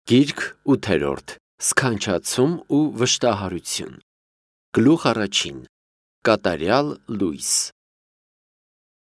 Գիրք 8-րդ. Սքանչացում ու վշտահարություն։ Գլուխ առաջին. Կատարյալ լույս։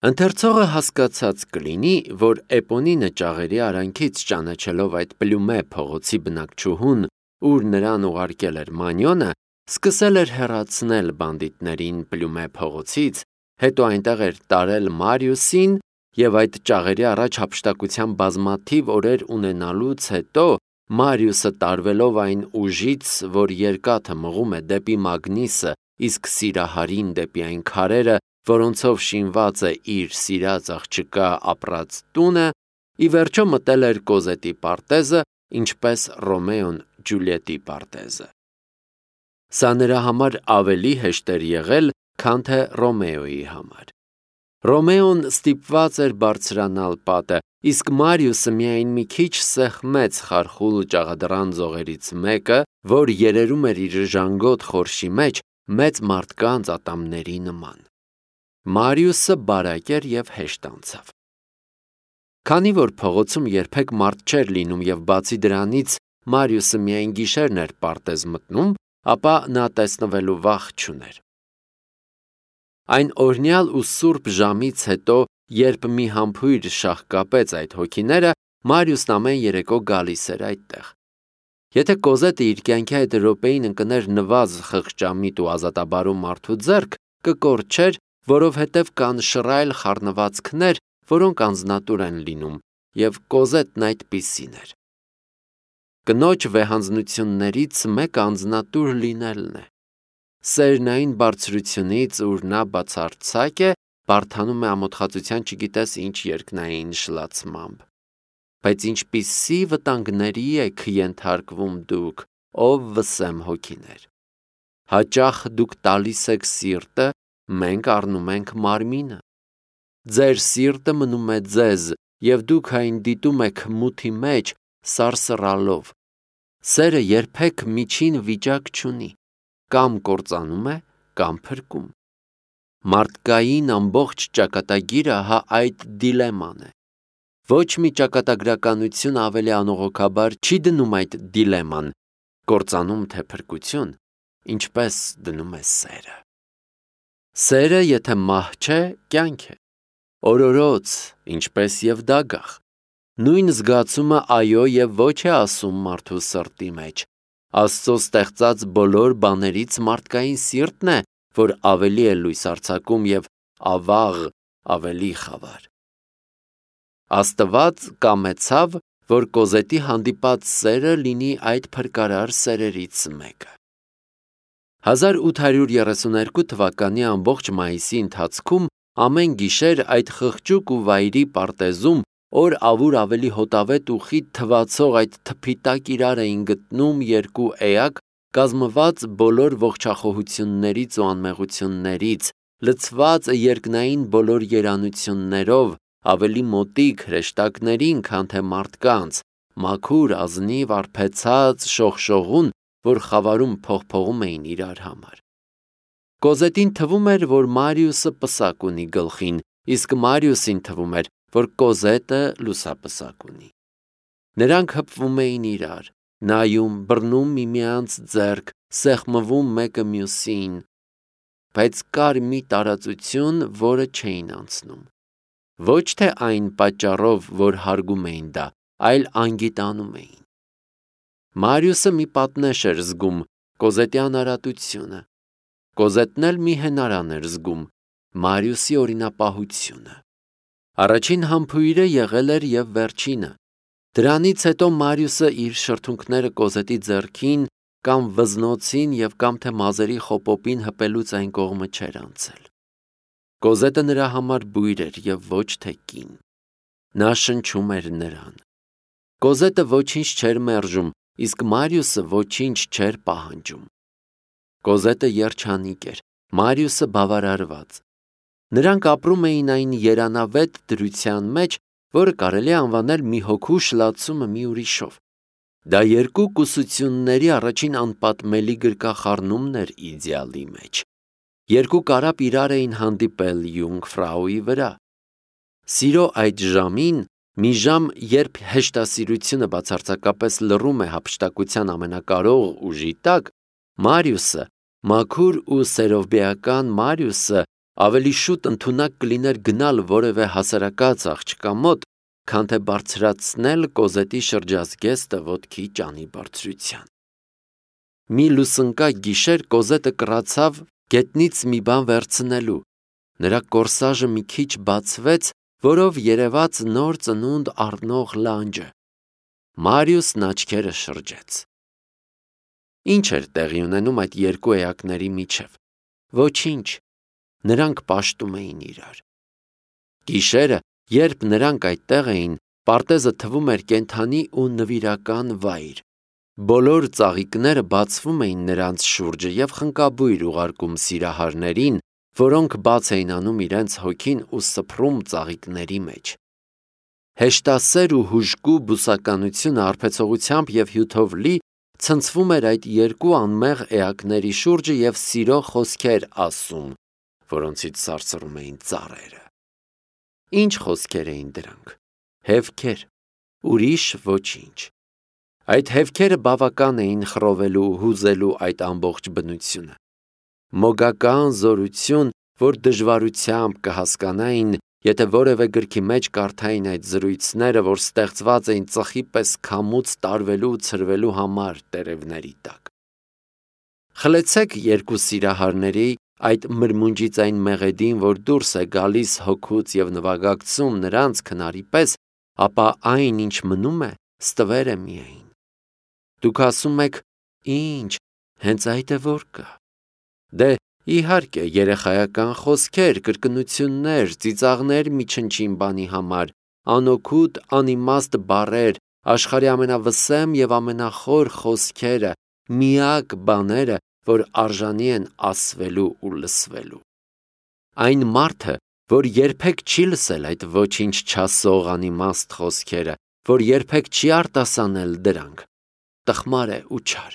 Ընթերցողը հասկացած կլինի, որ Էպոնինը ճաղերի արանքից ճանաչելով այդ Պլյումե փողոցի բնակչուհուն, ուր նրան ուղարկել էր Մանյոնը, սկսել էր հեռացնել բանդիտներին Պլյումե փողոցից, հետո այնտեղ էր տարել Մարիուսին և այդ ճաղերի առաջ հափշտակության բազմաթիվ օրեր ունենալուց հետո Մարիուսը տարվելով այն ուժից, որ երկաթը մղում է դեպի մագնիսը, իսկ սիրահարին դեպի այն քարերը, որոնցով շինված է իր սիրած աղջկա ապրած տունը, ի վերջո մտել էր Կոզետի պարտեզը, ինչպես Ռոմեոն Ջուլիետի պարտեզը։ Սա նրա համար ավելի հեշտ էր եղել, քան թե Ռոմեոյի համար։ Ռոմեոն ստիպված էր բարձրանալ պատը, իսկ Մարիուսը միայն մի քիչ սեղմեց խարխուլ ճաղադռան ձողերից մեկը, որ երերում էր իր ժանգոտ խորշի մեջ մեծ մարդկանց ատամների նման։ Մարիուսը բարակ էր և հեշտ անցավ։ Քանի որ փողոցում երբեք մարդ չէր լինում և բացի դրանից Մարիուսը միայն գիշերն էր պարտեզ մտնում, ապա նա տեսնվելու վախ չուներ։ Այն օրհնյալ ու սուրբ ժամից հետո, երբ մի համբույր շաղկապեց այդ հոգիները, Մարիուսն ամեն երեկո գալիս էր այդտեղ։ Եթե Կոզետը իր կյանքի այդ րոպեին ընկներ նվազ խղճամիտ ու ազատաբարու մարդու ձեռք, կկորչեր, որովհետև կան շռայլ խառնվածքներ, որոնք անձնատուր են լինում, և Կոզետն այդպիսին էր։ Կնոջ վեհանձնություններից մեկը անձնատուր լինելն է։ Սերն այն բարձրությունից, ուր նա բացարձակ է, բարդանում է ամոթխածության չգիտես ինչ երկնային շլացմամբ։ Բայց ինչպիսի վտանգների եք ենթարկվում դուք, ով վսեմ հոգիներ։ Հաճախ դուք տալիս եք սիրտը, մենք առնում ենք մարմինը։ Ձեր սիրտը մնում է ձեզ, և դուք այն դիտում եք մութի մեջ, սարսռալով։ Սերը երբեք միջին վիճակ չունի, կամ կործանում է, կամ փրկում։ Մարդկային ամբողջ ճակատագիրը հա այդ դիլեման է։ Ոչ մի ճակատագրականություն ավելի անողոքաբար չի դնում այդ դիլեման, կործանում թե փրկություն, ինչպես դնում է սերը։ Սերը, եթե մահ չէ, կյանք է, օրորոց, ինչպես և դագաղ։ Նույն զգացումը այո և ոչ է ասում մարդու սրտի մեջ։ Աստծո ստեղծած բոլոր բաներից մարդկային սիրտն է, որ ավելի է լույս արձակում և ավաղ ավելի խավար։ Աստված կամեցավ, որ Կոզետի հանդիպած սերը լինի այդ փրկարար սերերից մեկը։ 1832 թվականի ամբողջ մայիսի ընթացքում ամեն գիշեր այդ խղճուկ ու վայրի պարտեզում օր ավուր ավելի հոտավետ ու խիտ թվացող այդ թփի տակ իրար էին գտնում երկու էակ, կազմված բոլոր ողջախոհություններից ու անմեղություններից, լցված երկնային բոլոր երանություններով, ավելի մոտիկ հրեշտակներին, քան թե մարդկանց, մաքուր, ազնիվ, արբեցած, շողշողուն, որ խավարում փողփողում էին իրար համար։ Կոզետին թվում էր, որ Մարիուսը պսակ ունի գլխին, իսկ Մարիուսին թվում էր, որ Կոզետը լուսապսակ ունի։ Նրանք հպվում էին իրար, նայում, բռնում միմյանց ձեռք, սեղմվում մեկը մյուսին, բայց կար մի տարածություն, որը չէին անցնում։ Ոչ թե այն պատճառով, որ հարգում էին դա, այլ անգիտանում էին։ Մարիուսը մի պատնեշ էր զգում, Կոզետի անարատությունը։ Կոզետն էլ մի հենարան էր զգում, Մարիուսի օրինապահությունը։ Առաջին համբույրը եղել էր և վերջինը։ Դրանից հետո Մարիուսը իր շրթունքները Կոզետի ձեռքին կամ վզնոցին և կամ թե մազերի խոպոպին հպելուց այն կողմը չէր անցել։ Կոզետը նրա համար բույր էր և ոչ թե կին։ Նա շնչում էր նրան։ Կոզետը ոչինչ չէր մերժում, իսկ Մարիուսը ոչինչ չէր պահանջում։ Կոզետը երջանիկ էր, Մարիուսը բավարարված։ Նրանք ապրում էին այն երանավետ դրության մեջ, որը կարելի է անվանել մի հոգու շլացումը մի ուրիշով։ Դա երկու կուսությունների առաջին անպատմելի գրկախառնումն էր իդեալի մեջ։ Երկու կարապ իրար էին հանդիպել Յունգֆրաուի վրա։ Սիրո այդ ժամին Մի ժամ, երբ հեշտասիրությունը բացարձակապես լռում է հափշտակության ամենակարող ուժի տակ, Մարիուսը, մաքուր ու սերովբեական Մարիուսը ավելի շուտ ընդունակ կլիներ գնալ որևէ հասարակած աղջկա մոտ, քան թե բարձրացնել Կոզետի շրջազգեստը ոտքի ճանի բարձրության։ Մի լուսնկա գիշեր Կոզետը կռացավ գետնից մի բան վերցնելու։ Նրա կորսաժը մի քիչ բացվեց, որով երևաց նոր ծնունդ առնող լանջը։ Մարիուսն աչքերը շրջեց։ Ինչ էր տեղի ունենում այդ երկու էակների միջև։ Ոչինչ, նրանք պաշտում էին իրար։ Գիշերը, երբ նրանք այդտեղ էին, պարտեզը թվում էր կենդանի ու նվիրական վայր։ Բոլոր ծաղիկները բացվում էին նրանց շուրջը և խնկաբույր ուղարկում սիրահարներին, որոնք բաց էին անում իրենց հոգին ու սփռում ծաղիկների մեջ։ Հեշտասեր ու հուժկու բուսականությունը արբեցողությամբ և հյութով լի ցնցվում էր այդ երկու անմեղ էակների շուրջը և սիրո խոսքեր ասում, որոնցից սարսռում էին ծառերը։ Ինչ խոսքեր էին դրանք։ Հևքեր, ուրիշ ոչինչ։ Այդ հևքերը բավական էին խռովելու ու հուզելու այդ ամբողջ բնությունը։ Մոգական զորություն, որ դժվարությամբ կհասկանային, եթե որևէ գրքի մեջ կարդային այդ զրույցները, որ ստեղծված էին ծխի պես քամուց տարվելու ու ցրվելու համար տերևների տակ։ Խլեցեք երկու սիրահարների այդ մրմունջից այն մեղեդին, որ դուրս է գալիս հոգուց և նվագակցում նրանց քնարի պես, ապա այն, ինչ մնում է, ստվեր է միայն։ Դուք ասում եք, ինչ, հենց այդ է որ կա։ Դե, իհարկե, երեխայական խոսքեր, կրկնություններ, ծիծաղներ մի չնչին բանի համար, անօգուտ, անիմաստ բառեր, աշխարհի ամենավսեմ և ամենախոր խոսքերը, միակ բաները, որ արժանի են ասվելու ու լսվելու։ Այն մարդը, որ երբեք չի լսել այդ ոչինչ չասող անիմաստ խոսքերը, որ երբեք չի արտասանել դրանք, տխմար է ու չար։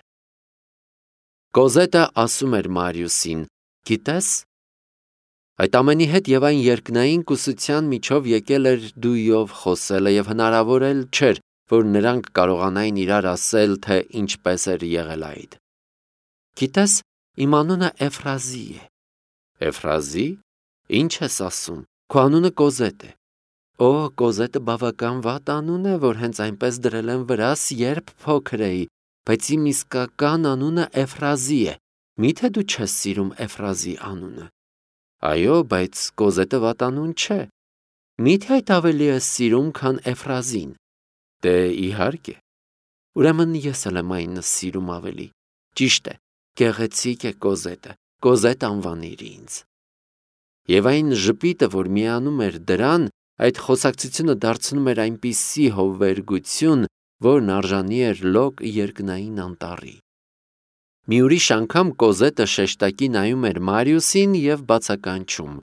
Կոզետը ասում էր Մարիուսին. գիտես, այդ ամենի հետ և այն երկնային կուսության միջով եկել էր դույով խոսելը և հնարավոր էլ չէր, որ նրանք կարողանային իրար ասել, թե ինչպես էր եղել այդ։ Գիտես, իմ անունը Էֆրազի է։ Էֆրազի? Ինչ ես ասում, քո անունը Կոզետ է։ Օ, Կոզետը բավական վատ անուն է, որ հենց այնպես դրել են վրաս, երբ փոքր էի, բայց իմ իսկական անունը Էֆրազի է։ Միթե դու չես սիրում Էֆրազի անունը։ Այո, բայց Կոզետը վատ անուն չէ։ Միթե այդ ավելի ես սիրում, քան Էֆրազին։ Դե իհարկե։ Ուրեմն ես էլ եմ այն սիրում ավելի։ Ճիշտ է, գեղեցիկ է Կոզետը, Կոզետ անվանիր ինձ։ Եվ այն ժպիտը, որ միանում էր դրան, այդ խոսակցությունը դարձնում էր այնպիսի հովվերգություն, որն արժանի էր լոկ երկնային անտառի։ Մի ուրիշ անգամ Կոզետը շեշտակի նայում էր Մարիուսին և բացականչում.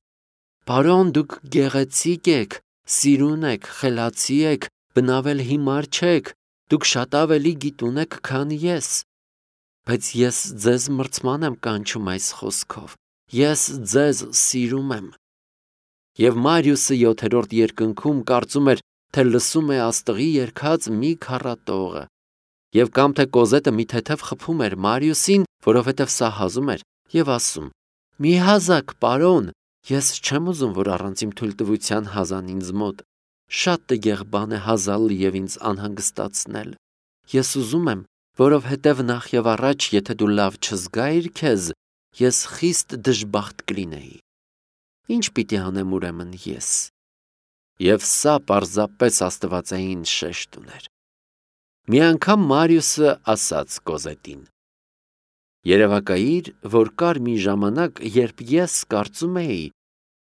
Պարոն, դուք գեղեցիկ եք, սիրուն եք, խելացի եք, բնավել հիմար չեք, դուք շատ ավելի գիտուն եք, քան ես։ Բայց ես ձեզ մրցման եմ կանչում այս խոսքով, ես ձեզ սիրում եմ։ Եվ Մարիուսը 7-րդ երկնքում կարծում էր, թե լսում է աստղի երգած մի քառատողը։ Եվ կամ թե Կոզետը մի թեթև խփում էր Մարիուսին, որովհետև սա հազում էր, և ասում. մի հազաք, պարոն, ես չեմ ուզում, որ առանց իմ թույլտվության հազան ինձ մոտ։ Շատ տգեղ բան է հազալ և ինձ անհանգստացնել։ Ես ուզում եմ, որովհետև նախ և առաջ, եթե դու լավ չզգայիր քեզ, ես խիստ դժբախտ կլինեի։ Ինչ պիտի անեմ ուրեմն ես։ Եվ սա պարզապես աստվածային շեշտ ուներ։ Մի անգամ Մարիուսը ասաց Կոզետին. երևակայիր, որ կար մի ժամանակ, երբ ես կարծում էի,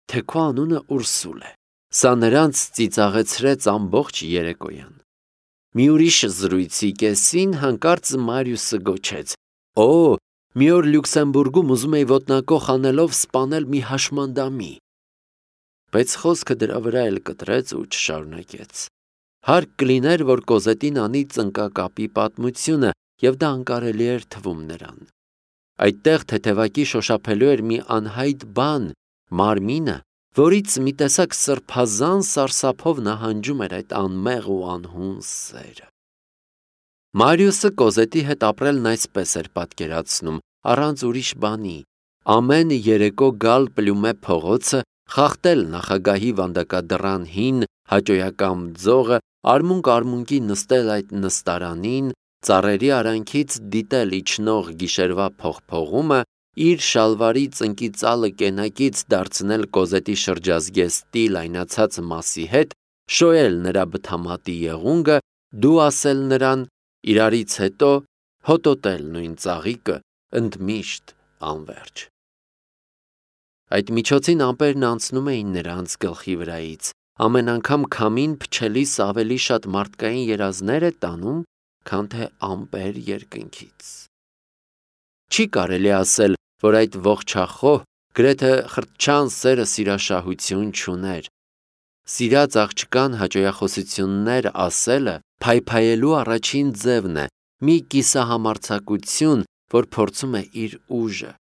թե քո անունը Ուրսուլ է։ Սա նրանց ծիծաղեցրեց ամբողջ երեկոյան։ Մի ուրիշ զրույցի կեսին հանկարծ Մարիուսը գոչեց. Օ, մի օր Լյուքսեմբուրգում ուզում էի ոտնակոխ անելով սպանել մի հաշմանդամի։ Բայց խոսքը դրա վրա էլ կտրեց ու չշարունակեց։ Հարկ կլիներ, որ Կոզետին անի ծնկակապի պատմությունը, և դա անկարելի էր թվում նրան։ Այդտեղ թեթևակի շոշափելու էր մի անհայտ բան, մարմինը, որից մի տեսակ սրբազան սարսափով նահանջում էր այդ անմեղ ու անհուն սերը։ Մարիուսը Կոզետի հետ ապրելն այսպես էր պատկերացնում, առանց ուրիշ բանի, ամեն երեկո գալ Պլյումե փողոցը, խախտել նախագահի վանդակադռան հին հաճոյական ձողը, արմունկ-արմունկի նստել այդ նստարանին, ծառերի արանքից դիտել իջնող գիշերվա փողփողումը, իր շալվարի ծնկի ծալը կենակից դարձնել Կոզետի շրջազգեստի լայնացած մասի հետ, շոյել նրա բթամատի եղունգը, դու ասել նրան, իրարից հետո հոտոտել նույն ծաղիկը, ընդմիշտ անվերջ։ Այդ միջոցին ամպերն անցնում էին նրանց գլխի վրայից, ամեն անգամ քամին փչելիս ավելի շատ մարդկային երազներ է տանում, քան թե ամպեր երկնքից։ Չի կարելի ասել, որ այդ ողջախոհ, գրեթե խրտչան սերը սիրաշահություն չուներ։ Սիրած աղջկան հաճոյախոսություններ ասելը փայփայելու առաջին ձևն է, մի կիսահամարձակություն, որ փորձում է իր ուժը։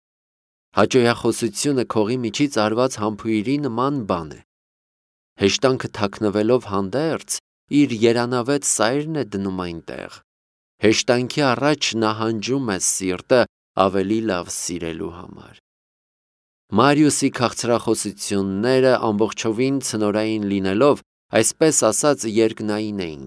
Հաճոյախոսությունը քողի միջից արված համբույրի նման բան է։ Հեշտանքը թաքնվելով հանդերձ, իր երանավետ սայրն է դնում այնտեղ։ Հեշտանքի առաջ նահանջում է սիրտը ավելի լավ սիրելու համար։ Մարիուսի քաղցրախոսությունները ամբողջովին ցնորային լինելով, այսպես ասած երկնային էին։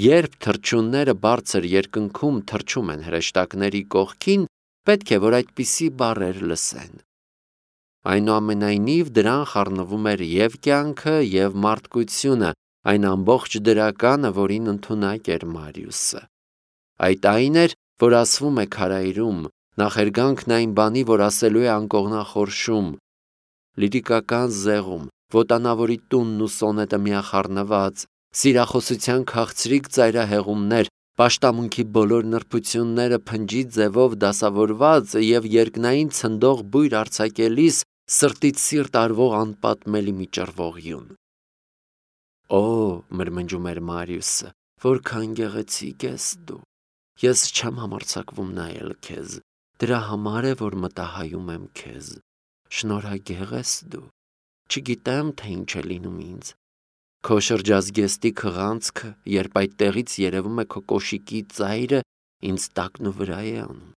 Երբ թռչունները բարձր երկնքում թռչում են հրեշտակների կողքին, պետք է, որ այդպիսի բառեր լսեն։ Այնուամենայնիվ դրան խառնվում էր և կյանքը, և մարդկությունը, այն ամբողջ դրականը, որին ընդունակ էր Մարիուսը։ Այդ այն էր, որ ասվում է քարայրում, նախերգանքն այն բանի, որ ասելու է անկողնախորշում, լիրիկական զեղում, ոտանավորի տունն ու սոնետը միախառնված, սիրախոսության քաղցրիկ ծայրահեղումներ, պաշտամունքի բոլոր նրբությունները փնջի ձևով դասավորված և երկնային ցնդող բույր արձակելիս սրտից սիրտ արվող անպատմելի մի ճռվողյուն։ Օ, մրմնջում էր Մարիուսը, որքան գեղեցիկ ես դու։ Ես չեմ համարձակվում նայել քեզ, դրա համար է, որ մտահայում եմ քեզ։ Շնորհագեղ ես դու։ Չգիտեմ, թե ինչ է լինում ինձ։ Քո շրջազգեստի քղանցքը, երբ այդտեղից երևում է քո կոշիկի ծայրը, ինձ տակն ու վրա է անում։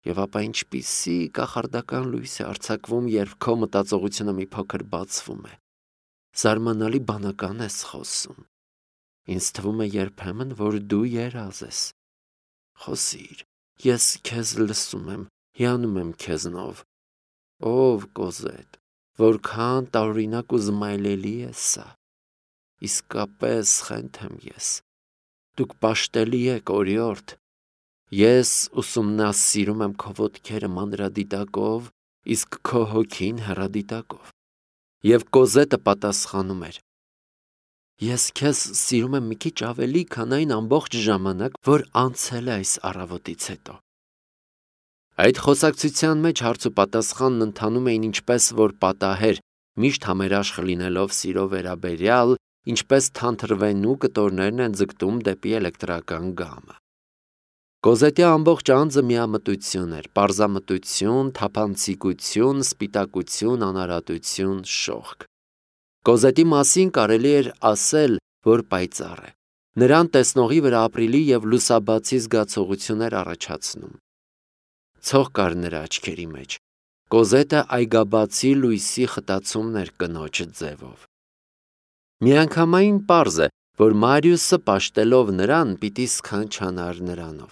Եվ ապա ինչպիսի կախարդական լույս է արձակվում, երբ քո մտածողությունը մի փոքր բացվում է։ Զարմանալի բանական ես խոսում։ Ինձ թվում է երբեմն, որ դու երազ ես։ Խոսիր, ես քեզ լսում եմ, հիանում եմ քեզնով։ Ով Կոզետ, որքան տարօրինակ ու զմայլելի է սա։ Իսկապես խենթ եմ ես։ Դուք պաշտելի եք, օրիորդ։ Ես ուսումնասիրում եմ քո ոտքերը մանրադիտակով, իսկ քո հոգին հեռադիտակով։ Եվ Կոզետը պատասխանում էր. Ես քեզ սիրում եմ մի քիչ ավելի, քան այն ամբողջ ժամանակ, որ անցել է այս առավոտից հետո։ Այդ խոսակցության մեջ հարց ու պատասխանն ընթանում էին ինչպես որ պատահեր, միշտ համերաշխ լինելով սիրո վերաբերյալ, ինչպես թանթրվենու կտորներն են ձգտում դեպի էլեկտրական գամը։ Կոզետի ամբողջ անձը միամտություն էր, պարզամտություն, թափանցիկություն, սպիտակություն, անարատություն, շողք։ Կոզետի մասին կարելի էր ասել, որ պայծառ է։ Նրան տեսնողի վրա ապրիլի և լուսաբացի զգացողություններ առաջացնում։ Ցող կար նրա աչքերի մեջ։ Կոզետը այգաբացի լույսի խտացումն էր կնոջ ձևով։ Միանգամայն պարզ է, որ Մարիուսը պաշտելով նրան պիտի սքանչանար նրանով։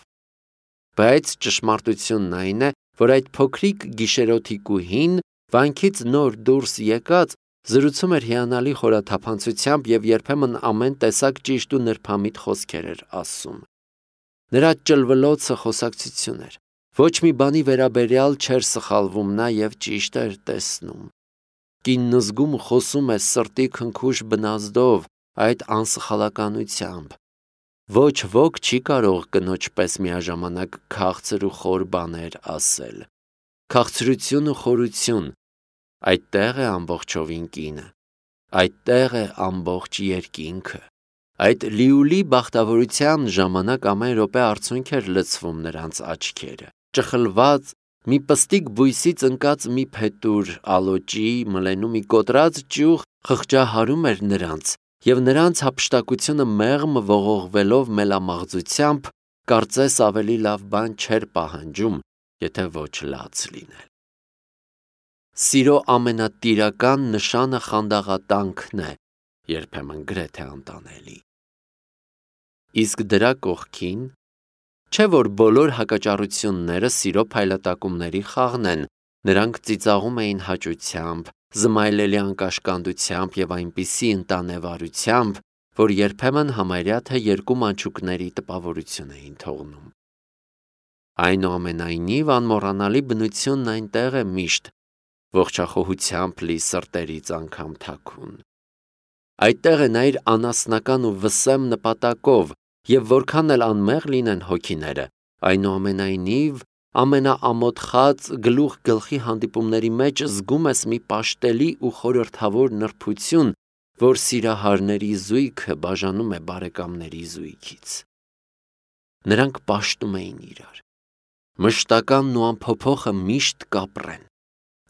Բայց ճշմարտությունն այն է, որ այդ փոքրիկ գիշերօթիկուհին, վանքից նոր դուրս եկած, զրուցում էր հիանալի խորաթափանցությամբ և երբեմն ամեն տեսակ ճիշտ ու նրբամիտ խոսքեր էր ասում։ Նրա ճլվլոցը խոսակցություն էր։ Ոչ մի բանի վերաբերյալ չէր սխալվում նա և ճիշտ էր տեսնում։ Կինն զգում ու խոսում է սրտի քնքուշ բնազդով, այդ անսխալականությամբ։ Ոչ ոք չի կարող կնոջ պես միաժամանակ քաղցր ու խոր բաներ ասել։ Քաղցրություն ու խորություն, այդտեղ է ամբողջովին կինը, այդտեղ է ամբողջ երկինքը։ Այդ լիուլի բախտավորության ժամանակ ամեն րոպե արցունք էր լցվում նրանց աչքերը, ճխլված, մի պստիկ բույսից ընկած մի փետուր ալոճի մլենու մի կոտրած ճյուղ խղճահարում էր նրանց, և նրանց հափշտակությունը մեղմ ողողվելով մելամաղձությամբ կարծես ավելի լավ բան չէր պահանջում, եթե ոչ լաց լինել։ Սիրո ամենատիրական նշանը խանդաղատանքն է, երբեմն գրեթե անտանելի։ Իսկ դրա կողքին, չէ որ բոլոր հակաճառությունները սիրո փայլատակումների խաղն են, նրանք ծիծաղում էին հաճությամբ, զմայլելի անկաշկանդությամբ և այնպիսի ընտանեվարությամբ, որ երբեմն համարյա թե երկու մանչուկների տպավորություն էին թողնում։ Այնուամենայնիվ անմոռանալի բնությունն այնտեղ է միշտ, ողջախոհությամբ լի սրտերից անգամ թաքուն։ Այդտեղ է նա իր անասնական ու վսեմ նպատակով, և որքան էլ անմեղ լինեն հոգիները, այնուամենայնիվ ամենաամոթխած գլուխ գլխի հանդիպումների մեջ զգում ես մի պաշտելի ու խորհրդավոր նրբություն, որ սիրահարների զույգը բաժանում է բարեկամների զույգից։ Նրանք պաշտում էին իրար։ Մշտականն ու անփոփոխը միշտ կապրեն։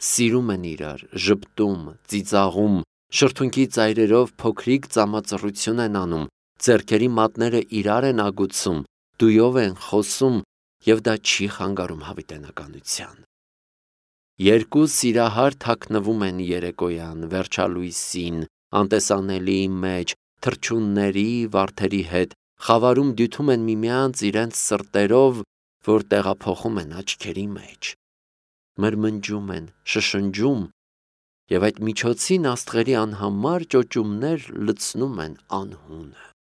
Սիրում են իրար, ժպտում, ծիծաղում, շրթունքի ծայրերով փոքրիկ ծամածռություն են անում, ձեռքերի մատները իրար են ագուցում, դույով են խոսում, և դա չի խանգարում հավիտենականության։ Երկու սիրահար թաքնվում են երեկոյան, վերջալույսին, անտեսանելիի մեջ, թռչունների, վարդերի հետ, խավարում դյութում են միմյանց իրենց սրտերով, որ տեղափոխում են աչքերի մեջ, մրմնջում են, շշնջում, և այդ միջոցին աստղերի անհամար ճոճումներ լցնում են անհունը։